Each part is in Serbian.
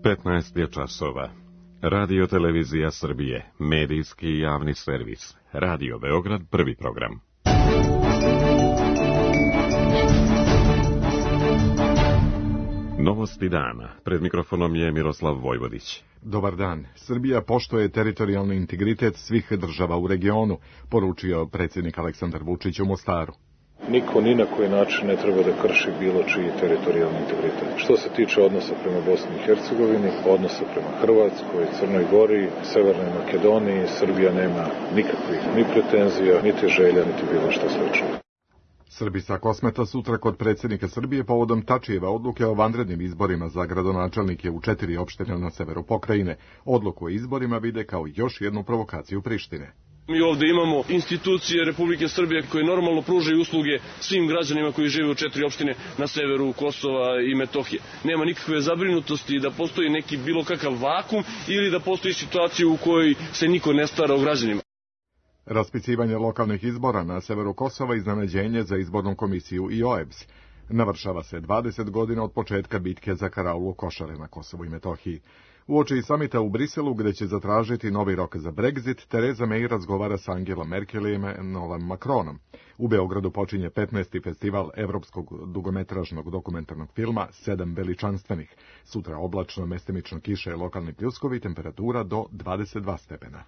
15 je časova. Radio Televizija Srbije, medijski javni servis. Radio Beograd, prvi program. Novosti dana. Pred mikrofonom je Miroslav Vojvodić. Dobar dan. Srbija poštuje teritorijalni integritet svih država u regionu, poručio predsjednik Aleksandar Vučić u Mostaru. Niko ni na koji način ne treba da krši bilo čiji teritorijalni integritet. Što se tiče odnosa prema Bosni i Hercegovini, odnosa prema Hrvatskoj, Crnoj Gori, Severnoj Makedoniji, Srbija nema nikakvih ni pretenzija, niti želja, niti bilo što slično. Srbi sa Kosmeta sutra kod predsjednika Srbije povodom Tačijeva odluke o vanrednim izborima za gradonačelnike u 4 opštine na severu pokrajine. Odluku o izborima vide kao još jednu provokaciju Prištine. Mi ovdje imamo institucije Republike Srbije koje normalno pružaju usluge svim građanima koji žive u 4 opštine na severu Kosova i Metohije. Nema nikakve zabrinutosti da postoji neki bilo kakav vakum ili da postoji situacija u kojoj se niko ne stara o građanima. Raspisivanje lokalnih izbora na severu Kosova iznenađenje za izbornu komisiju i OEBS. Navršava se 20 godina od početka bitke za karaulu košare na Kosovu i Metohiji. Uoči samita u Briselu, gde će zatražiti novi rok za Brexit, Tereza May razgovara sa Angelom Merkel i Emmanuelom Macronom. U Beogradu počinje 15. festival evropskog dugometražnog dokumentarnog filma 7 veličanstvenih. Sutra oblačno, mestimično kiše, lokalni pljuskovi, temperatura do 22 stepena.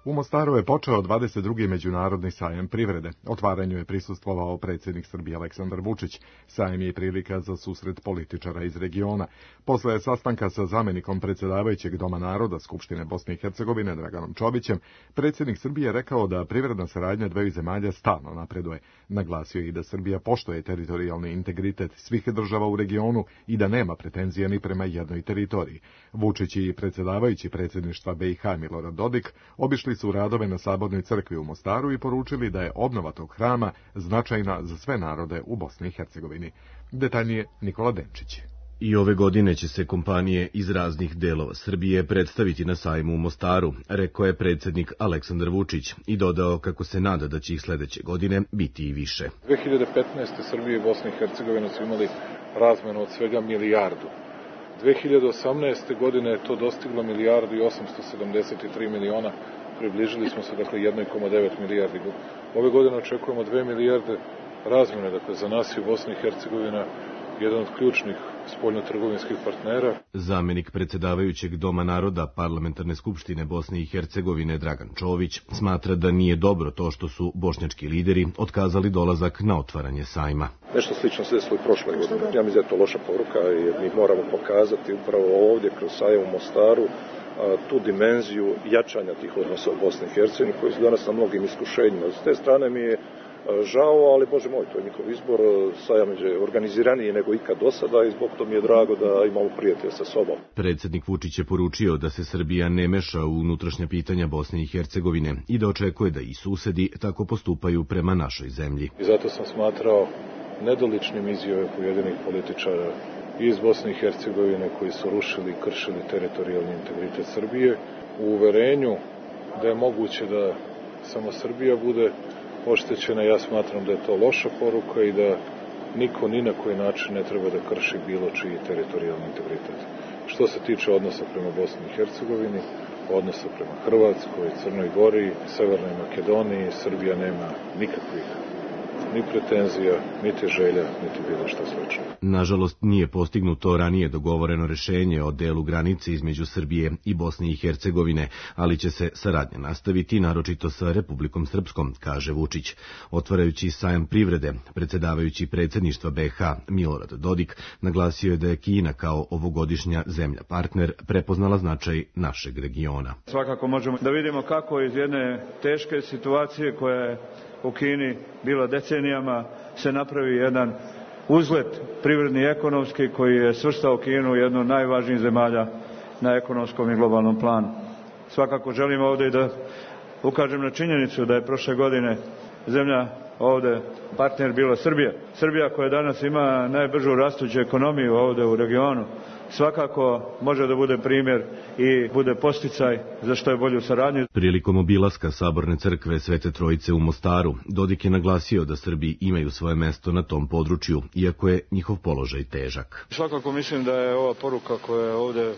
U Mostaru je počeo 22. međunarodni sajam privrede. Otvaranju je prisustvovao predsjednik Srbije Aleksandar Vučić. Sajam je prilika za susret političara iz regiona. Posle sastanka sa zamjenikom predsjedavajućeg Doma naroda Skupštine Bosne i Hercegovine Draganom Čobićem, predsjednik Srbije rekao da privredna saradnja dveju zemalja stalno napreduje. Naglasio je i da Srbija poštuje teritorijalni integritet svih država u regionu i da nema pretenzije ni prema jednoj teritoriji. Vučić i predsjedavajući predsjedništva BiH Milorad Dodik obišli su radove na Sabornoj crkvi u Mostaru i poručili da je obnova tog hrama značajna za sve narode u Bosni i Hercegovini. Detaljnije Nikola Denčić. I ove godine će se kompanije iz raznih delova Srbije predstaviti na sajmu u Mostaru, rekao je predsjednik Aleksandar Vučić i dodao kako se nada da će ih sledeće godine biti i više. 2015. Srbije i Bosne i Hercegovine su imali razmenu od svega milijardu. 2018. godine je to dostiglo milijardu i 873 miliona. Približili smo se, 1,9 milijardi. Ove godine očekujemo 2 milijarde razmjene, za nas je Bosna i Hercegovina jedan od ključnih spoljnotrgovinskih partnera. Zamjenik predsjedavajućeg Doma naroda Parlamentarne skupštine Bosne i Hercegovine Dragan Čović smatra da nije dobro to što su bošnjački lideri otkazali dolazak na otvaranje sajma. Nešto slično se desilo i prošle godine. Ja mislim da je to loša poruka jer mi moramo pokazati upravo ovdje kroz sajam u Mostaru tu dimenziju jačanja tih odnosa u Bosni i Hercegovini koji su danas na mnogim iskušenjima. S te strane mi je žao, ali Bože moj, to je njihov izbor. Sajam je organiziraniji nego ikad do sada i zbog toga mi je drago da imamo prijatelja sa sobom. Predsjednik Vučić je poručio da se Srbija ne meša u unutrašnja pitanja Bosne i Hercegovine i da očekuje da i susedi tako postupaju prema našoj zemlji. I zato sam smatrao nedoličnim izjave pojedinih političara iz Bosne i Hercegovine koji su rušili i kršili teritorijalni integritet Srbije u uverenju da je moguće da samo Srbija bude oštećena. Ja smatram da je to loša poruka i da niko ni na koji način ne treba da krši bilo čiji teritorijalni integritet. Što se tiče odnosa prema Bosni i Hercegovini, odnosa prema Hrvatskoj, Crnoj Gori, Severnoj Makedoniji, Srbija nema nikakvih ni pretenzija, niti želja, niti bilo što slično. Nažalost, nije postignuto ranije dogovoreno rešenje o delu granice između Srbije i Bosne i Hercegovine, ali će se saradnja nastaviti, naročito sa Republikom Srpskom, kaže Vučić. Otvarajući sajam privrede, predsjedavajući predsjedništva BiH Milorad Dodik naglasio je da je Kina kao ovogodišnja zemlja partner prepoznala značaj našeg regiona. Svakako možemo da vidimo kako iz jedne teške situacije koja je u Kini bila decenijama se napravi jedan uzlet privredni i ekonomski koji je svrstao Kinu u jednu od najvažnijih zemalja na ekonomskom i globalnom planu. Svakako želim ovdje da ukažem na činjenicu da je prošle godine zemlja ovdje partner bila Srbija. Srbija koja danas ima najbržu rastuću ekonomiju ovdje u regionu, svakako može da bude primjer i bude posticaj za što je bolju saradnju. Prilikom obilaska Saborne crkve Svete Trojice u Mostaru, Dodik je naglasio da Srbi imaju svoje mesto na tom području, iako je njihov položaj težak. Svakako mislim da je ova poruka koja ovde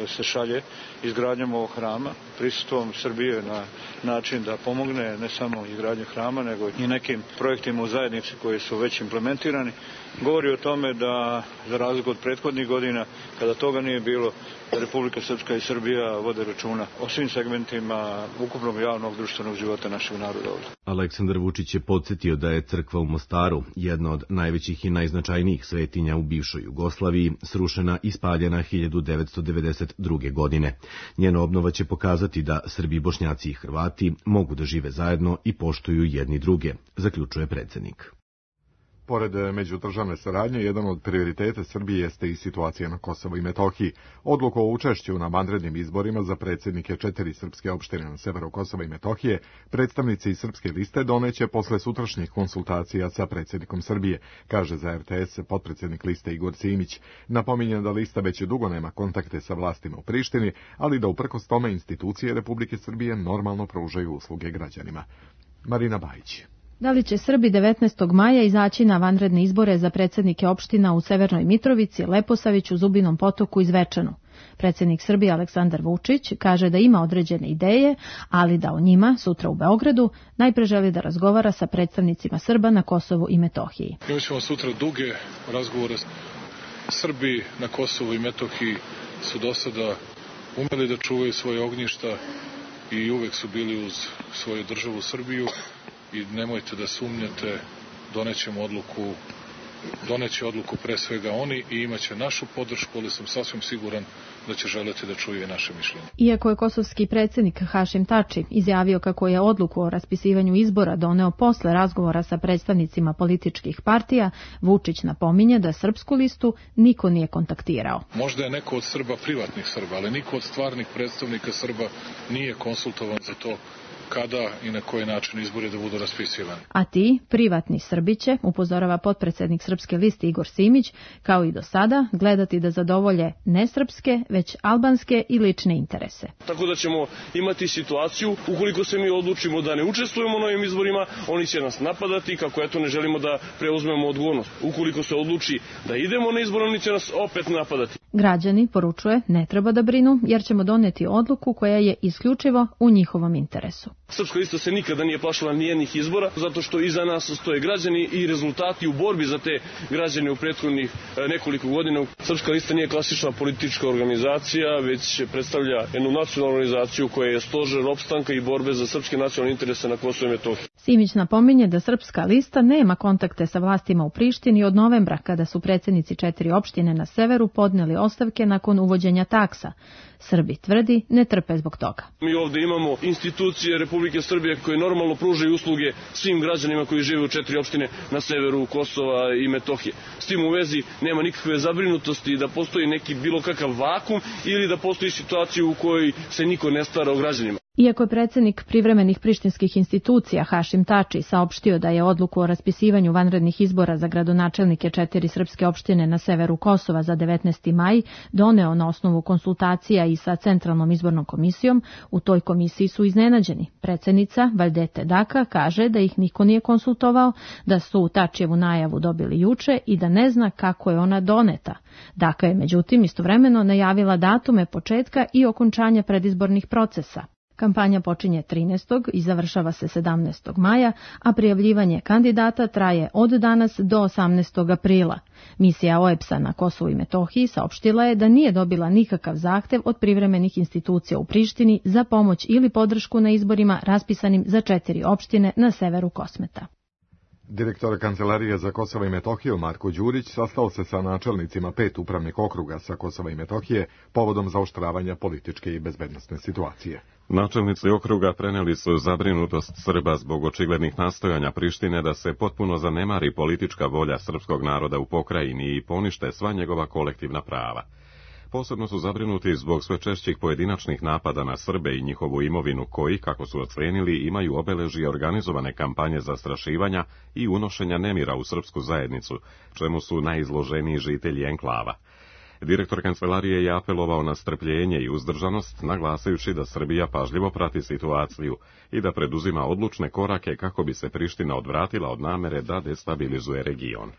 se šalje izgradnjom ovog hrama, prisustvom Srbije na način da pomogne ne samo izgradnju hrama, nego i nekim projektima u zajednici koji su već implementirani, govori o tome da, za razliku od prethodnih godina, kada toga nije bilo, da Republika Srpska i Srbija vode računa o svim segmentima ukupnog javnog društvenog života našeg naroda ovdje. Aleksandar Vučić je podsjetio da je crkva u Mostaru, jedna od najvećih i najznačajnijih svetinja u bivšoj Jugoslaviji, srušena i spaljena 1992. godine. Njena obnova će pokazati da Srbi, Bošnjaci i Hrvati mogu da žive zajedno i poštuju jedni druge, zaključuje predsjednik. Pored međudržavne saradnje, jedan od prioriteta Srbije jeste i situacija na Kosovu i Metohiji. Odluku o učešću na vanrednim izborima za predsjednike 4 srpske opštine na severu Kosova i Metohije predstavnici iz srpske liste doneće posle sutrašnjih konsultacija sa predsjednikom Srbije, kaže za RTS potpredsjednik liste Igor Simić. Napominje da lista već dugo nema kontakte sa vlastima u Prištini, ali da uprkos tome institucije Republike Srbije normalno pružaju usluge građanima. Marina Bajić. Da li će Srbi 19. maja izaći na vanredne izbore za predsjednike opština u Severnoj Mitrovici, Leposaviću, Zubinom Potoku i Zvečanu? Predsjednik Srbije Aleksandar Vučić kaže da ima određene ideje, ali da o njima sutra u Beogradu najpre želi da razgovara sa predstavnicima Srba na Kosovu i Metohiji. Imat ćemo sutra duge razgovore. Srbi na Kosovu i Metohiji su do sada umeli da čuvaju svoje ognjišta i uvek su bili uz svoju državu Srbiju. I nemojte da sumnjate, doneće odluku pre svega oni i imaće našu podršku, ali sam sasvim siguran da će želeti da čuje naše mišljenje. Iako je kosovski predsjednik Hašim Tači izjavio kako je odluku o raspisivanju izbora doneo posle razgovora sa predstavnicima političkih partija, Vučić napominje da srpsku listu niko nije kontaktirao. Možda je neko od Srba privatnih Srba, ali niko od stvarnih predstavnika Srba nije konsultovan za to kada i na koji način izbori da budu raspisivani. A ti, privatni Srbi će, upozorava potpredsjednik srpske liste Igor Simić, kao i do sada, gledati da zadovolje ne srpske, već albanske i lične interese. Tako da ćemo imati situaciju, ukoliko se mi odlučimo da ne učestvujemo na ovim izborima, oni će nas napadati kako eto ne želimo da preuzmemo odgovornost. Ukoliko se odluči da idemo na izbor, oni će nas opet napadati. Građani, poručuje, ne treba da brinu, jer ćemo doneti odluku koja je isključivo u njihovom interesu. Srpska lista se nikada nije plašila nijednih izbora, zato što iza nas stoje građani i rezultati u borbi za te građane u prethodnih nekoliko godina. Srpska lista nije klasična politička organizacija, već predstavlja jednu nacionalnu organizaciju koja je stožer opstanka i borbe za srpske nacionalne interese na Kosovu i Metohiji. Simić napominje da Srpska lista nema kontakte sa vlastima u Prištini od novembra, kada su predsjednici 4 opštine na severu podneli ostavke nakon uvođenja taksa. Srbi, tvrdi, ne trpe zbog toga. Mi ovdje imamo institucije Republike Srbije koje normalno pružaju usluge svim građanima koji žive u 4 opštine na severu Kosova i Metohije. S tim u vezi nema nikakve zabrinutosti da postoji neki bilo kakav vakum ili da postoji situacija u kojoj se niko ne stara o građanima. Iako je predsjednik privremenih prištinskih institucija Hašim Tači saopštio da je odluku o raspisivanju vanrednih izbora za gradonačelnike 4 srpske opštine na severu Kosova za 19. maj doneo na osnovu konsultacija i sa Centralnom izbornom komisijom, u toj komisiji su iznenađeni. Predsjednica Valdete Daka kaže da ih niko nije konsultovao, da su Tačijevu najavu dobili juče i da ne zna kako je ona doneta. Daka je međutim istovremeno najavila datume početka i okončanja predizbornih procesa. Kampanja počinje 13. i završava se 17. maja, a prijavljivanje kandidata traje od danas do 18. aprila. Misija OEBS-a na Kosovu i Metohiji saopštila je da nije dobila nikakav zahtev od privremenih institucija u Prištini za pomoć ili podršku na izborima raspisanim za 4 opštine na severu Kosmeta. Direktor Kancelarije za Kosovo i Metohiju Marko Đurić sastao se sa načelnicima 5 upravnih okruga sa Kosova i Metohije povodom zaoštravanja političke i bezbednosne situacije. Načelnici okruga preneli su zabrinutost Srba zbog očiglednih nastojanja Prištine da se potpuno zanemari politička volja srpskog naroda u pokrajini i ponište sva njegova kolektivna prava. Posebno su zabrinuti zbog sve češćih pojedinačnih napada na Srbe i njihovu imovinu koji, kako su ocenili, imaju obeležje organizovane kampanje zastrašivanja i unošenja nemira u srpsku zajednicu, čemu su najizloženiji žitelji enklava. Direktor kancelarije je apelovao na strpljenje i uzdržanost, naglasajući da Srbija pažljivo prati situaciju i da preduzima odlučne korake kako bi se Priština odvratila od namere da destabilizuje region.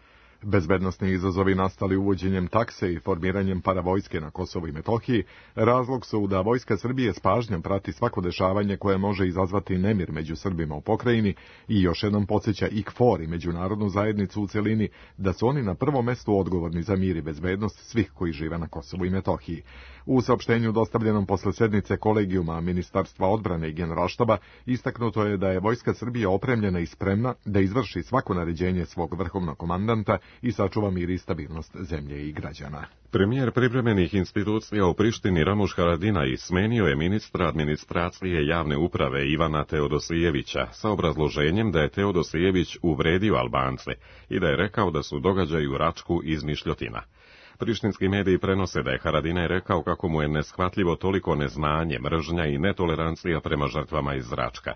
Bezbednosni izazovi nastali uvođenjem takse i formiranjem paravojske na Kosovu i Metohiji razlog su da Vojska Srbije s pažnjom prati svako dešavanje koje može izazvati nemir među Srbima u pokrajini i još jednom podsjeća i KFOR i međunarodnu zajednicu u celini da su oni na prvom mestu odgovorni za mir i bezbednost svih koji žive na Kosovu i Metohiji. U saopštenju dostavljenom posle sednice kolegijuma Ministarstva odbrane i Generalštaba istaknuto je da je Vojska Srbije opremljena i spremna da izvrši svako naređenje svog vrhovnog komandanta i sačuva mir i stabilnost zemlje i građana. Premijer privremenih institucija u Prištini Ramuš Haradinaj smenio je ministra administracije javne uprave Ivana Teodosijevića sa obrazloženjem da je Teodosijević uvredio Albance i da je rekao da su događaji u Račku izmišljotina. Prištinski mediji prenose da je Haradinaj rekao kako mu je neshvatljivo toliko neznanje, mržnja i netolerancija prema žrtvama iz Račka.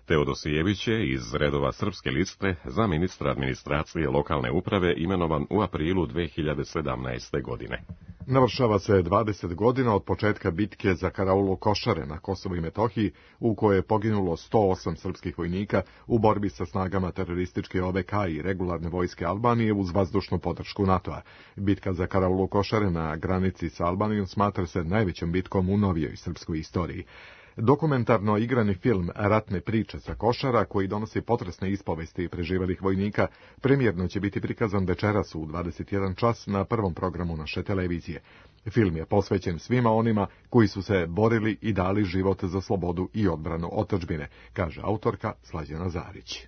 Teodosijević je iz redova Srpske liste za ministra administracije lokalne uprave imenovan u aprilu 2017. godine. Navršava se 20 godina od početka bitke za karaulu Košare na Kosovu i Metohiji, u kojoj je poginulo 108 srpskih vojnika u borbi sa snagama terorističke OVK i regularne vojske Albanije uz vazdušnu podršku NATO-a. Bitka za karaulu Košare na granici sa Albanijom smatra se najvećom bitkom u novijoj srpskoj istoriji. Dokumentarno igrani film Ratne priče sa Košara, koji donosi potresne ispovesti preživelih vojnika, premijerno će biti prikazan večeras u 21 čas na prvom programu naše televizije. Film je posvećen svima onima koji su se borili i dali život za slobodu i odbranu otadžbine, kaže autorka Slađana Zarić.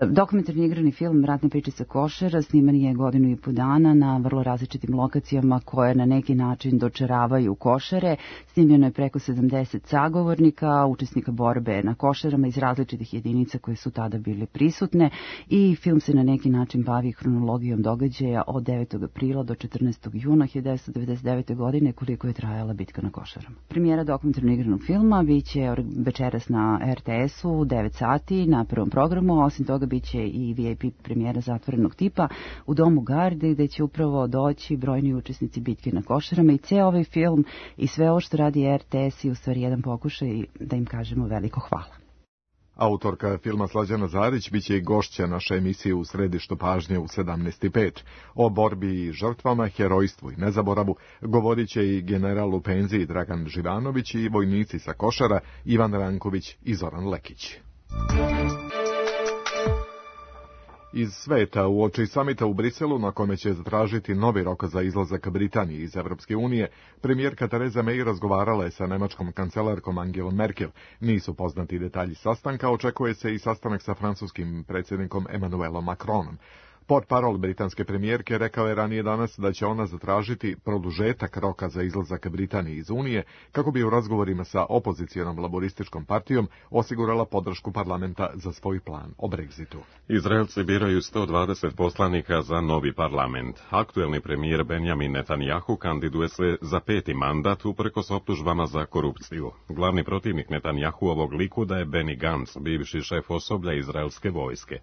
Dokumentarni igrani film Ratne priče sa Košara sniman je 1,5 godine na vrlo različitim lokacijama koje na neki način dočaravaju Košare. Snimljeno je preko 70 sagovornika, učesnika borbe na Košarama iz različitih jedinica koje su tada bile prisutne i film se na neki način bavi hronologijom događaja od 9. aprila do 14. juna 1999. godine koliko je trajala bitka na Košarama. Premijera dokumentarnog igranog filma biće večeras na RTS-u 9 sati na prvom programu, osim toga biće i VIP premijera zatvorenog tipa u Domu Garde, gde će upravo doći brojni učesnici bitke na Košarama i ceo ovaj film i sve ovo što radi RTS i u stvari jedan pokušaj da im kažemo veliko hvala. Autorka filma Slađana Zarić biće i gošća naše emisije u središtu pažnje u 17:05. O borbi i žrtvama, herojstvu i nezaboravu govorit će i general u penziji Dragan Živanović i vojnici sa Košara Ivan Ranković i Zoran Lekić. Iz sveta uoči samita u Briselu, na kome će zatražiti novi rok za izlazak Britanije iz Evropske unije, premijerka Tereza May razgovarala je sa nemačkom kancelarkom Angelom Merkel. Nisu poznati detalji sastanka, očekuje se i sastanak sa francuskim predsjednikom Emmanuelom Macronom. Portparol britanske premijerke rekao je ranije danas da će ona zatražiti produžetak roka za izlazak Britanije iz Unije kako bi u razgovorima sa opozicijonom laborističkom partijom osigurala podršku parlamenta za svoj plan o Brexitu. Izraelci biraju 120 poslanika za novi parlament. Aktuelni premijer Benjamin Netanjahu kandiduje se za 5. mandat uprkos optužbama za korupciju. Glavni protivnik Netanjahuovog Likuda je Benny Gantz, bivši šef osoblja izraelske vojske.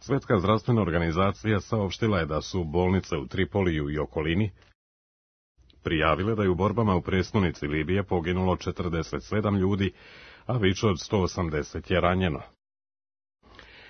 Svjetska zdravstvena organizacija saopštila je da su bolnice u Tripoliju i okolini prijavile da je u borbama u prestonici Libije poginulo 47 ljudi, a više od 180 je ranjeno.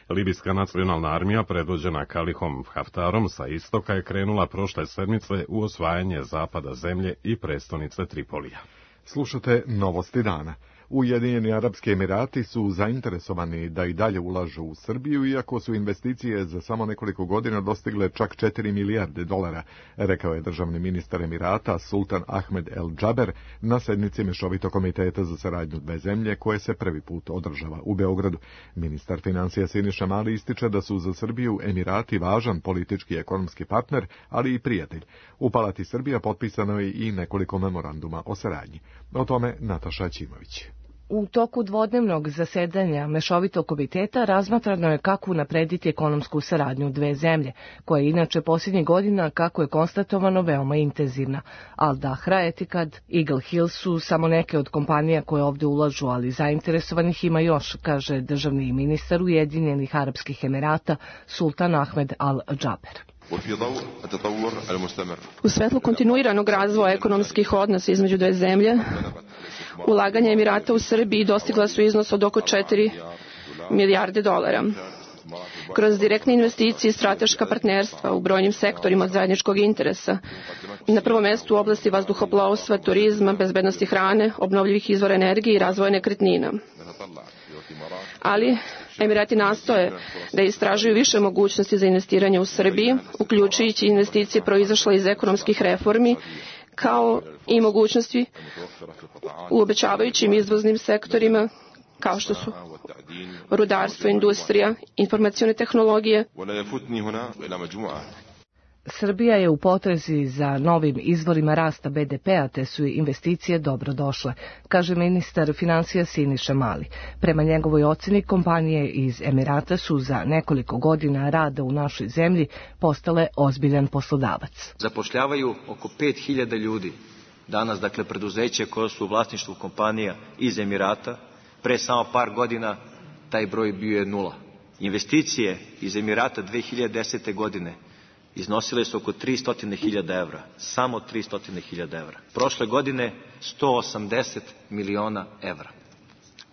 Libijska nacionalna armija, predvođena Kalihom Haftarom sa istoka, je krenula prošle sedmice u osvajanje zapada zemlje i prestonice Tripolija. Slušate novosti dana. Ujedinjeni Arapski Emirati su zainteresovani da i dalje ulažu u Srbiju, iako su investicije za samo nekoliko godina dostigle čak 4 milijarde dolara, rekao je državni ministar Emirata Sultan Ahmed El Džaber na sednici Mešovitog komiteta za saradnju dve zemlje koje se prvi put održava u Beogradu. Ministar financija Siniša Mali ističe da su za Srbiju Emirati važan politički i ekonomski partner, ali i prijatelj. U Palati Srbija potpisano je i nekoliko memoranduma o saradnji. O tome Nataša Ćimović. U toku dvodnevnog zasedanja Mešovitog komiteta razmatrano je kako unaprediti ekonomsku saradnju dve zemlje, koja je inače posljednjih godina, kako je konstatovano, veoma intenzivna. Al Dahra, Etihad, Eagle Hill su samo neke od kompanija koje ovdje ulažu, ali zainteresovanih ima još, kaže državni ministar Ujedinjenih Arapskih Emirata Sultan Ahmed Al Džaber. U svetlu kontinuiranog razvoja ekonomskih odnosa između dve zemlje, ulaganja Emirata u Srbiji dostigla su iznos od oko 4 milijarde dolara. Kroz direktne investicije i strateška partnerstva u brojnim sektorima od zajedničkog interesa, na prvom mestu u oblasti vazduhoplovstva, turizma, bezbednosti hrane, obnovljivih izvora energije i razvoja nekretnina. Ali Emirati nastoje da istražuju više mogućnosti za investiranje u Srbiji, uključujući investicije proizašle iz ekonomskih reformi, kao i mogućnosti u obećavajućim izvoznim sektorima, kao što su rudarstvo, industrija, informacione tehnologije. Srbija je u potrazi za novim izvorima rasta BDP-a, te su investicije dobro došle, kaže ministar finansija Siniša Mali. Prema njegovoj oceni, kompanije iz Emirata su za nekoliko godina rada u našoj zemlji postale ozbiljan poslodavac. Zapošljavaju oko 5000 ljudi. Danas, dakle, preduzeće koje su u vlasništvu kompanija iz Emirata, pre samo par godina taj broj bio je 0. Investicije iz Emirata 2010. godine iznosile su oko 300.000 evra, samo 300.000 evra. Prošle godine 180 miliona evra.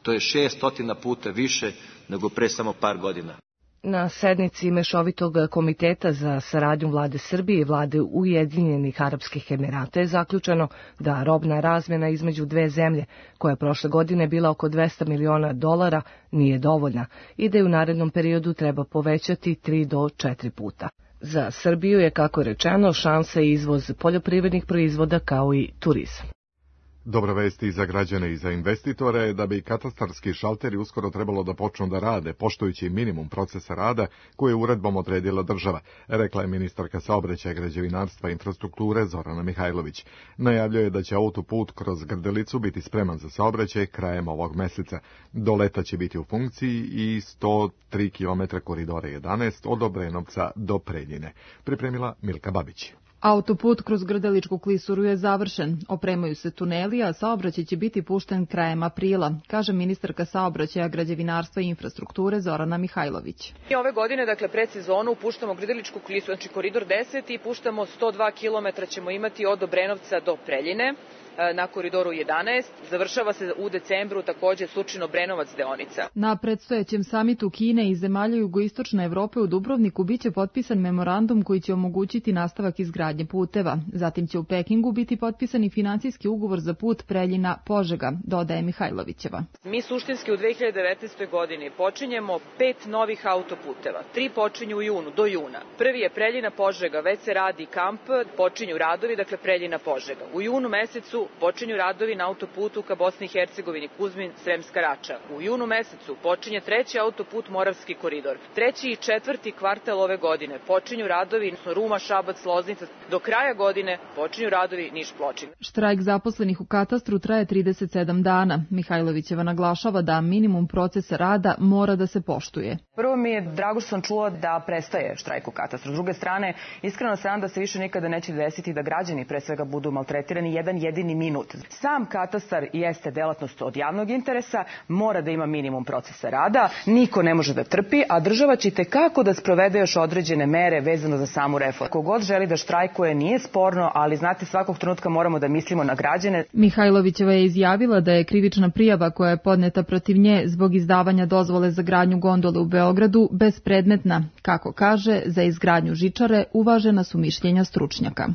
To je 600 puta više nego pre samo par godina. Na sednici Mešovitog komiteta za saradnju vlade Srbije i vlade Ujedinjenih Arapskih Emirata je zaključeno da robna razmjena između dve zemlje, koja je prošle godine bila oko 200 miliona dolara, nije dovoljna i da je u narednom periodu treba povećati 3 do 4 puta. Za Srbiju je, kako je rečeno, šansa izvoz poljoprivrednih proizvoda kao i turizam. Dobra vest i za građane i za investitore je da bi katastarski šalteri uskoro trebalo da počnu da rade, poštujući minimum procesa rada koje je uredbom odredila država, rekla je ministarka saobraćaja, građevinarstva i infrastrukture Zorana Mihajlović. Najavljuje da će autoput kroz Grdelicu biti spreman za saobraćaj krajem ovog meseca. Do leta će biti u funkciji i 103 km koridora 11 od Obrenovca do Preljine. Pripremila Milka Babić. Autoput kroz Grdeličku klisuru je završen. Opremaju se tuneli, a saobraćaj će biti pušten krajem aprila, kaže ministarka saobraćaja, građevinarstva i infrastrukture Zorana Mihajlović. I ove godine, dakle, pred sezonu puštamo Grdeličku klisuru, znači koridor 10 i puštamo 102 km ćemo imati od Obrenovca do Preljine na koridoru 11. Završava se u decembru takođe Surčin-Obrenovac deonica. Na predstojećem samitu Kine i zemalja jugoistočne Evrope u Dubrovniku biće potpisan memorandum koji će omogućiti nastavak izgradnje puteva. Zatim će u Pekingu biti potpisan i finansijski ugovor za put Preljina-Požega, dodaje Mihajlovićeva. Mi suštinski u 2019. godini počinjemo 5 novih autoputeva. 3 počinju u junu, do juna. Prvi je Preljina-Požega, već se radi kamp, počinju radovi, dakle Preljina-Požega. U junu mesecu počinju radovi na autoputu ka Bosni i Hercegovini, Kuzmin-Sremska Rača. U junu mesecu počinje treći autoput Moravski koridor. 3. i 4. kvartal ove godine počinju radovi Ruma, Šabac, Loznica. Do kraja godine počinju radovi Niš-Pločin. Štrajk zaposlenih u katastru traje 37 dana. Mihajlovićeva naglašava da minimum procesa rada mora da se poštuje. Prvo mi je drago što sam čula da prestaje štrajk u katastru. S druge strane, iskreno se nadam da se više nikada neće desiti da građani pre svega budu maltretirani jedan jedini minut. Sam katastar jeste delatnost od javnog interesa, mora da ima minimum procesa rada, niko ne može da trpi, a država će itekako da sprovede još određene mere vezano za samu reformu. Kogod želi da štrajkuje nije sporno, ali znate, svakog trenutka moramo da mislimo na građane. Mihajlovićeva je izjavila da je krivična prijava koja je podneta protiv nje zbog izdavanja dozvole za gradnju gondole u Beogradu bespredmetna. Kako kaže, za izgradnju žičare uvažena su mišljenja stručnjaka.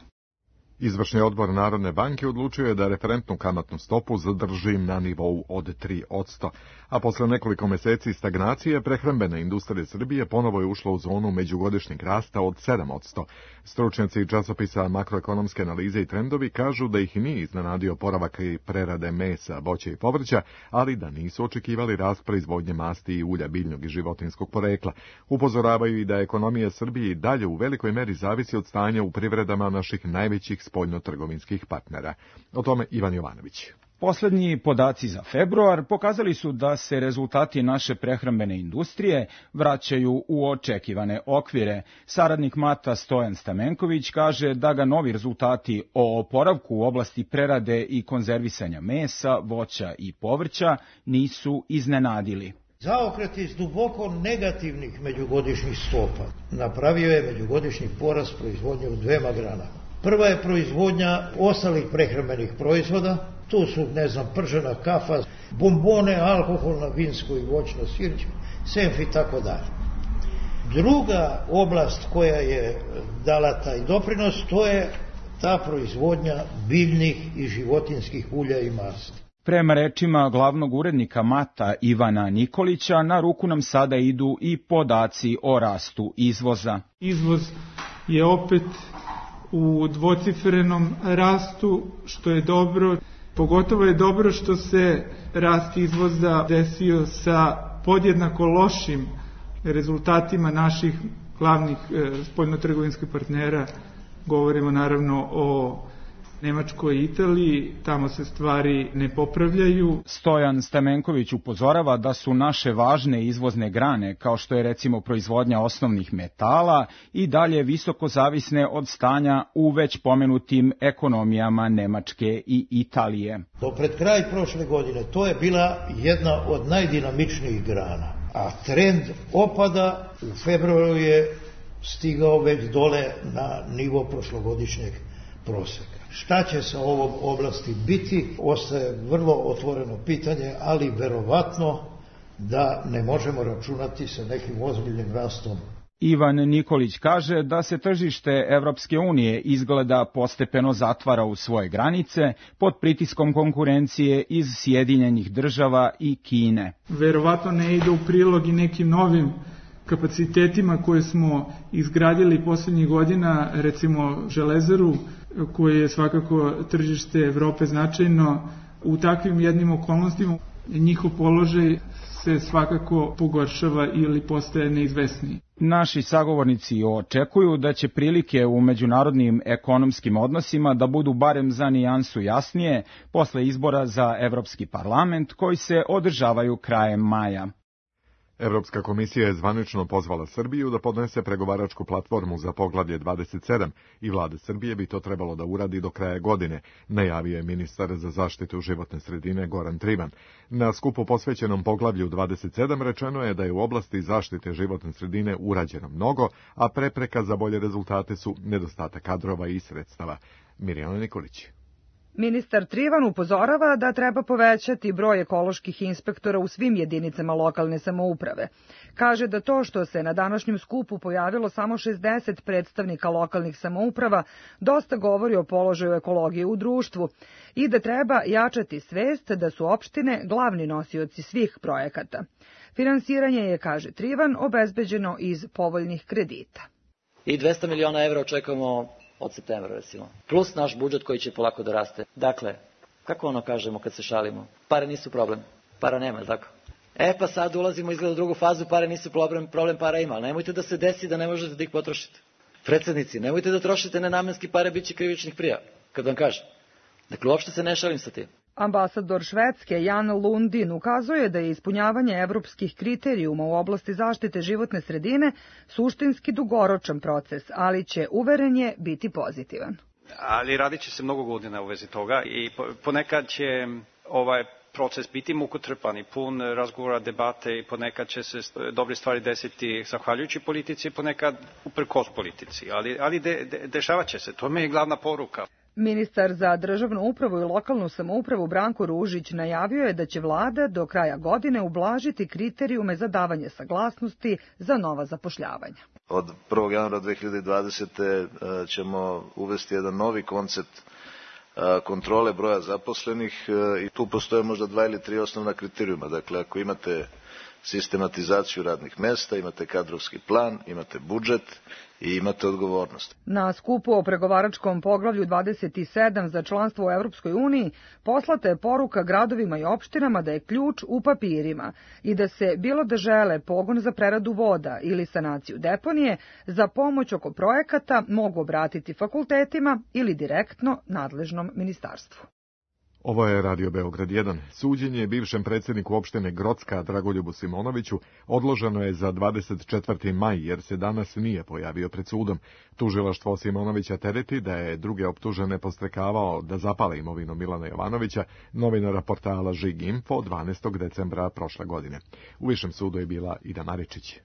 Izvršni odbor Narodne banke odlučio je da referentnu kamatnu stopu zadrži na nivou od 3%, a posle nekoliko meseci stagnacije prehrambena industrija Srbije ponovo je ušla u zonu međugodišnjeg rasta od 7%. Stručnjaci časopisa Makroekonomske analize i trendovi kažu da ih nije iznenadio poravak i prerade mesa, voća i povrća, ali da nisu očekivali rast proizvodnje masti i ulja biljnog i životinjskog porekla. Upozoravaju i da ekonomija Srbije i dalje u velikoj meri zavisi od stanja u privredama naših najvećih spoljnotrgovinskih partnera. O tome Ivan Jovanović. Poslednji podaci za februar pokazali su da se rezultati naše prehrambene industrije vraćaju u očekivane okvire. Saradnik MATA Stojan Stamenković kaže da ga novi rezultati o oporavku u oblasti prerade i konzervisanja mesa, voća i povrća nisu iznenadili. Zaokret iz duboko negativnih međugodišnjih stopa napravio je međugodišnji porast proizvodnje u dvema granama. Prva je proizvodnja ostalih prehrambenih proizvoda, tu su, pržena kafa, bombone, alkoholna, vinsko i voćno sirće, senf i tako dalje. Druga oblast koja je dala taj doprinos, to je ta proizvodnja biljnih i životinjskih ulja i masti. Prema rečima glavnog urednika MATA Ivana Nikolića, na ruku nam sada idu i podaci o rastu izvoza. Izvoz je opet u dvocifrenom rastu, što je dobro. Pogotovo je dobro što se rast izvoza desio sa podjednako lošim rezultatima naših glavnih spoljnotrgovinskih partnera. Govorimo naravno o Nemačkoj i Italiji, tamo se stvari ne popravljaju. Stojan Stamenković upozorava da su naše važne izvozne grane, kao što je recimo proizvodnja osnovnih metala, i dalje visoko zavisne od stanja u već pomenutim ekonomijama Nemačke i Italije. Do pred kraj prošle godine to je bila jedna od najdinamičnijih grana, a trend opada u februaru je stigao već dole na nivo prošlogodišnjeg proseka. Šta će sa ovom oblasti biti, ostaje vrlo otvoreno pitanje, ali verovatno da ne možemo računati sa nekim ozbiljnim rastom. Ivan Nikolić kaže da se tržište Evropske unije izgleda postepeno zatvara u svoje granice pod pritiskom konkurencije iz Sjedinjenih Država i Kine. Verovatno ne ide u prilog i nekim novim kapacitetima koje smo izgradili posljednjih godina, recimo železaru, koje je svakako tržište Evrope značajno. U takvim jednim okolnostima njihov položaj se svakako pogoršava ili postaje neizvesniji. Naši sagovornici očekuju da će prilike u međunarodnim ekonomskim odnosima da budu barem za nijansu jasnije posle izbora za Evropski parlament koji se održavaju krajem maja. Evropska komisija je zvanično pozvala Srbiju da podnese pregovaračku platformu za poglavlje 27 i vlada Srbije bi to trebalo da uradi do kraja godine, najavio je ministar za zaštitu životne sredine Goran Trivan. Na skupu posvećenom poglavlju 27 rečeno je da je u oblasti zaštite životne sredine urađeno mnogo, a prepreka za bolje rezultate su nedostatak kadrova i sredstava. Mirjana Nikolić. Ministar Trivan upozorava da treba povećati broj ekoloških inspektora u svim jedinicama lokalne samouprave. Kaže da to što se na današnjem skupu pojavilo samo 60 predstavnika lokalnih samouprava dosta govori o položaju ekologije u društvu i da treba jačati svest da su opštine glavni nosioci svih projekata. Finansiranje je, kaže Trivan, obezbeđeno iz povoljnih kredita. I 200 miliona evra očekujemo od septembra, recimo. Plus naš budžet koji će polako da raste. Dakle, kako kažemo kad se šalimo? Pare nisu problem. Para nema, tako? Pa sad ulazimo izgleda u drugu fazu, pare nisu problem para ima. Nemojte da se desi da ne možete da ih potrošite. Predsednici, nemojte da trošite nenamenski pare, bit će krivičnih prijava, kad vam kažem. Dakle, uopšte se ne šalim sa tim. Ambasador Švedske Jan Lundin ukazuje da je ispunjavanje evropskih kriterijuma u oblasti zaštite životne sredine suštinski dugoročan proces, ali će, uveren je, biti pozitivan. Ali radit će se mnogo godina u vezi toga i ponekad će ovaj proces biti mukotrpan i pun razgovora, debate i ponekad će se dobre stvari desiti zahvaljujući politici, ponekad uprkos politici, ali dešavat će se, to mi je glavna poruka. Ministar za državnu upravu i lokalnu samoupravu Branko Ružić najavio je da će vlada do kraja godine ublažiti kriterijume za davanje saglasnosti za nova zapošljavanja. Od 1. januara 2020. ćemo uvesti jedan novi koncept kontrole broja zaposlenih i tu postoje možda 2 ili 3 osnovna kriterijuma. Dakle, ako imate sistematizaciju radnih mesta, imate kadrovski plan, imate budžet i imate odgovornost. Na skupu o pregovaračkom poglavlju 27 za članstvo u Evropskoj uniji poslata je poruka gradovima i opštinama da je ključ u papirima i da se, bilo da žele pogon za preradu voda ili sanaciju deponije, za pomoć oko projekata mogu obratiti fakultetima ili direktno nadležnom ministarstvu. Ovo je Radio Beograd 1. Suđenje bivšem predsjedniku opštine Grocka Dragoljubu Simonoviću odloženo je za 24. maj jer se danas nije pojavio pred sudom. Tužilaštvo Simonovića tereti da je druge optužene podstrekavao da zapale imovinu Milana Jovanovića, novinara portala Žig Info 12. decembra prošle godine. U višem sudu je bila Ida Maričić.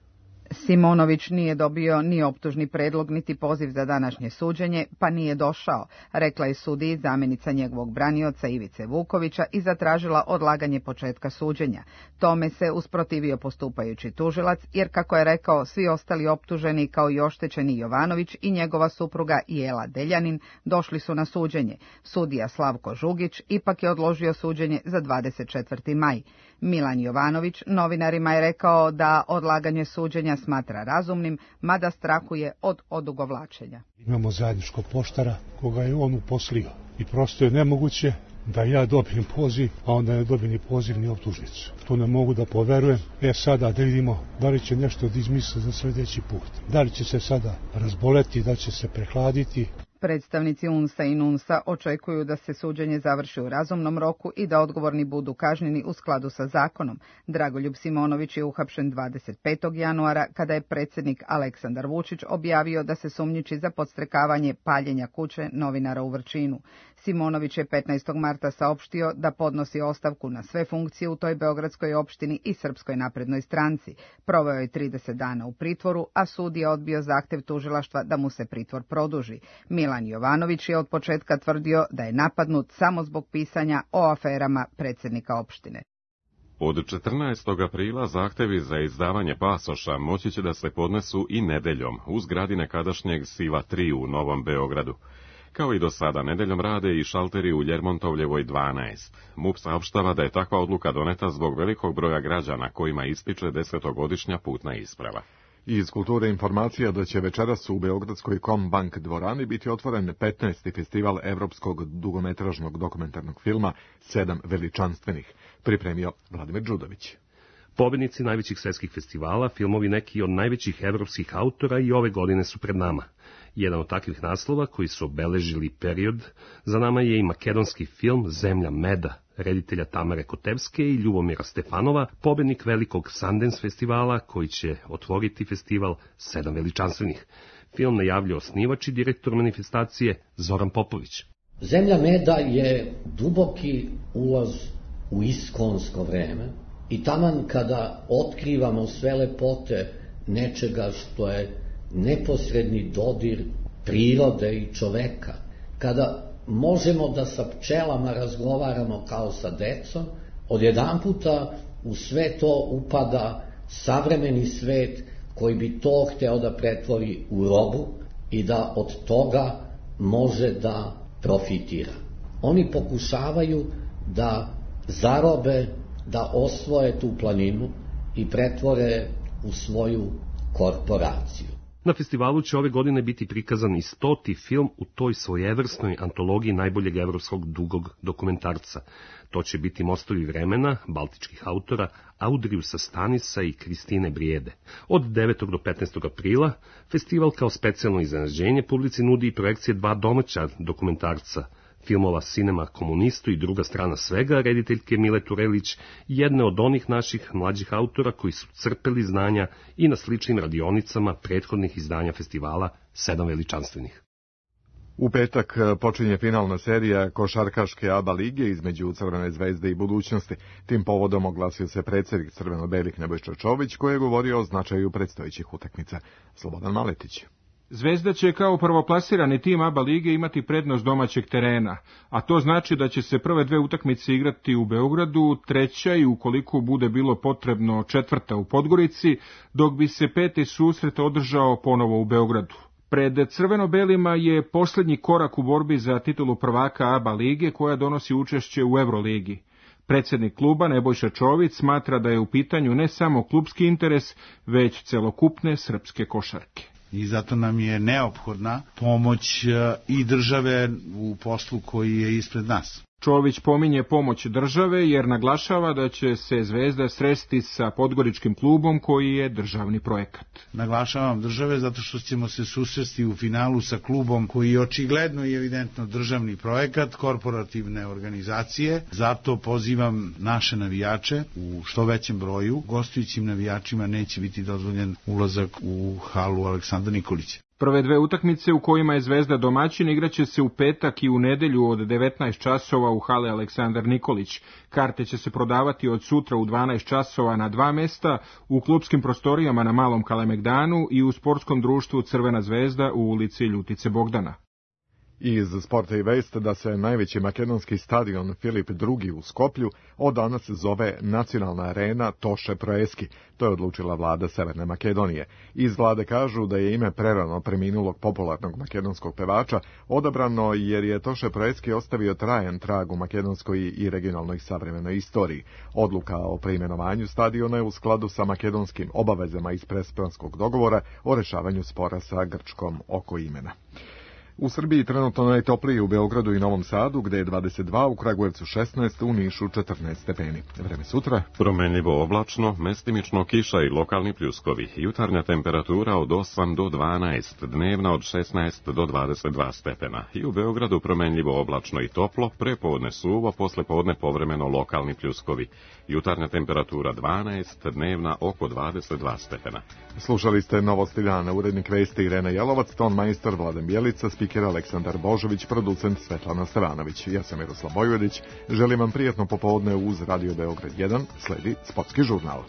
Simonović nije dobio ni optužni predlog niti poziv za današnje suđenje, pa nije došao, rekla je sudiji zamjenica njegovog branioca Ivice Vukovića i zatražila odlaganje početka suđenja. Tome se usprotivio postupajući tužilac, jer kako je rekao, svi ostali optuženi kao i oštećeni Jovanović i njegova supruga Jela Deljanin došli su na suđenje. Sudija Slavko Žugić ipak je odložio suđenje za 24. maj. Milan Jovanović novinarima je rekao da odlaganje suđenja smatra razumnim, mada strahuje od odugovlačenja. Imamo zajedničkog poštara koga je on uposlio i prosto je nemoguće da ja dobijem poziv, a onda ne dobijem ni poziv ni optužnicu. To ne mogu da poverujem. Sada da vidimo da li će nešto da izmisle za sljedeći put. Da li će se sada razboleti, da će se prehladiti. Predstavnici UNS-a i NUNS-a očekuju da se suđenje završi u razumnom roku i da odgovorni budu kažnjeni u skladu sa zakonom. Dragoljub Simonović je uhapšen 25. januara kada je predsjednik Aleksandar Vučić objavio da se sumnjiči za podstrekavanje paljenja kuće novinara u Vrčinu. Simonović je 15. marta saopštio da podnosi ostavku na sve funkcije u toj beogradskoj opštini i Srpskoj naprednoj stranci. Proveo je 30 dana u pritvoru, a sud je odbio zahtev tužilaštva da mu se pritvor produži. Milan Jovanović je od početka tvrdio da je napadnut samo zbog pisanja o aferama predsjednika opštine. Od 14. aprila zahtevi za izdavanje pasoša moći će da se podnesu i nedeljom u zgradi nekadašnjeg Siva 3 u Novom Beogradu. Kao i do sada, nedeljom rade i šalteri u Ljermontovljevoj 12. MUP saopštava da je takva odluka doneta zbog velikog broja građana kojima ističe 10-godišnja putna isprava. Iz kulture informacija da će večeras u Beogradskoj Kombank dvorani biti otvoren 15. festival evropskog dugometražnog dokumentarnog filma 7 veličanstvenih, pripremio Vladimir Đudović. Pobednici najvećih svetskih festivala, filmovi neki od najvećih evropskih autora i ove godine su pred nama. Jedan od takvih naslova koji su obeležili period za nama je i makedonski film Zemlja meda, reditelja Tamare Kotevske i Ljubomira Stefanova, pobednik velikog Sundance festivala koji će otvoriti festival 7 veličanstvenih. Film najavljuje osnivač i direktor manifestacije Zoran Popović. Zemlja meda je duboki ulaz u iskonsko vreme i taman kada otkrivamo sve lepote nečega što je neposredni dodir prirode i čoveka, kada možemo da sa pčelama razgovaramo kao sa decom, odjedanputa u sve to upada savremeni svet koji bi to hteo da pretvori u robu i da od toga može da profitira. Oni pokušavaju da zarobe, da osvoje tu planinu i pretvore u svoju korporaciju. Na festivalu će ove godine biti prikazan i 100. film u toj svojevrsnoj antologiji najboljeg evropskog dugog dokumentarca. To će biti Mostovi vremena, baltičkih autora, Audriusa Stanisa i Kristine Brijede. Od 9. do 15. aprila festival kao specijalno iznenađenje publici nudi i projekcije 2 domaća dokumentarca, filmova Cinema komunistu i Druga strana svega, rediteljke Mile Turelić, jedne od onih naših mlađih autora koji su crpeli znanja i na sličnim radionicama prethodnih izdanja festivala 7 veličanstvenih. U petak počinje finalna serija košarkaške ABA lige između Crvene zvezde i Budućnosti. Tim povodom oglasio se predsjednik crveno-belih Nebojša Čović koji je govorio o značaju predstojećih utakmica. Slobodan Maletić. Zvezda će kao prvoplasirani tim ABA lige imati prednost domaćeg terena, a to znači da će se prve 2 utakmice igrati u Beogradu, treća i ukoliko bude bilo potrebno 4. u Podgorici, dok bi se 5. susret održao ponovo u Beogradu. Pred crveno-belima je posljednji korak u borbi za titulu prvaka ABA lige koja donosi učešće u Euroligi. Predsjednik kluba Nebojša Čović smatra da je u pitanju ne samo klubski interes, već celokupne srpske košarke. I zato nam je neophodna pomoć i države u poslu koji je ispred nas. Čović pominje pomoć države jer naglašava da će se Zvezda sresti sa Podgoričkim klubom koji je državni projekat. Naglašavam države zato što ćemo se susresti u finalu sa klubom koji je očigledno i evidentno državni projekat, korporativne organizacije. Zato pozivam naše navijače u što većem broju. Gostujućim navijačima neće biti dozvoljen ulazak u halu Aleksandra Nikolića. Prve dve utakmice u kojima je Zvezda domaćin igraće se u petak i u nedelju od 19 časova u hale Aleksandar Nikolić. Karte će se prodavati od sutra u 12 časova na 2 mesta, u klupskim prostorijama na Malom Kalemegdanu i u sportskom društvu Crvena zvezda u ulici Ljutice Bogdana. Iz sporta i vest da se najveći makedonski stadion Filip II u Skoplju od danas zove Nacionalna arena Toše Proeski. To je odlučila vlada Severne Makedonije. Iz vlade kažu da je ime prerano preminulog popularnog makedonskog pevača odabrano jer je Toše Proeski ostavio trajan trag u makedonskoj i regionalnoj savremenoj istoriji. Odluka o preimenovanju stadiona je u skladu sa makedonskim obavezama iz Prespranskog dogovora o rešavanju spora sa Grčkom oko imena. U Srbiji trenutno najtoplije u Beogradu i Novom Sadu, gde je 22, u Kragujevcu 16, u Nišu 14 stepeni. Vreme sutra? Promenljivo oblačno, mestimično kiša i lokalni pljuskovi. Jutarnja temperatura od 8 do 12, dnevna od 16 do 22 stepena. I u Beogradu promenljivo oblačno i toplo, prepodne suvo, poslepodne povremeno lokalni pljuskovi. Jutarnja temperatura 12, dnevna oko 22 stepena. Slušali ste Novosti dana, urednik vesti Irena Jelovac, ton majstor Vladan Bjelica, spiker Aleksandar Božović, producent Svetlana Stevanović. Ja sam Miroslav Bojvedić. Želim vam prijatno popodne uz Radio Beograd 1. Sledi Sportski žurnal.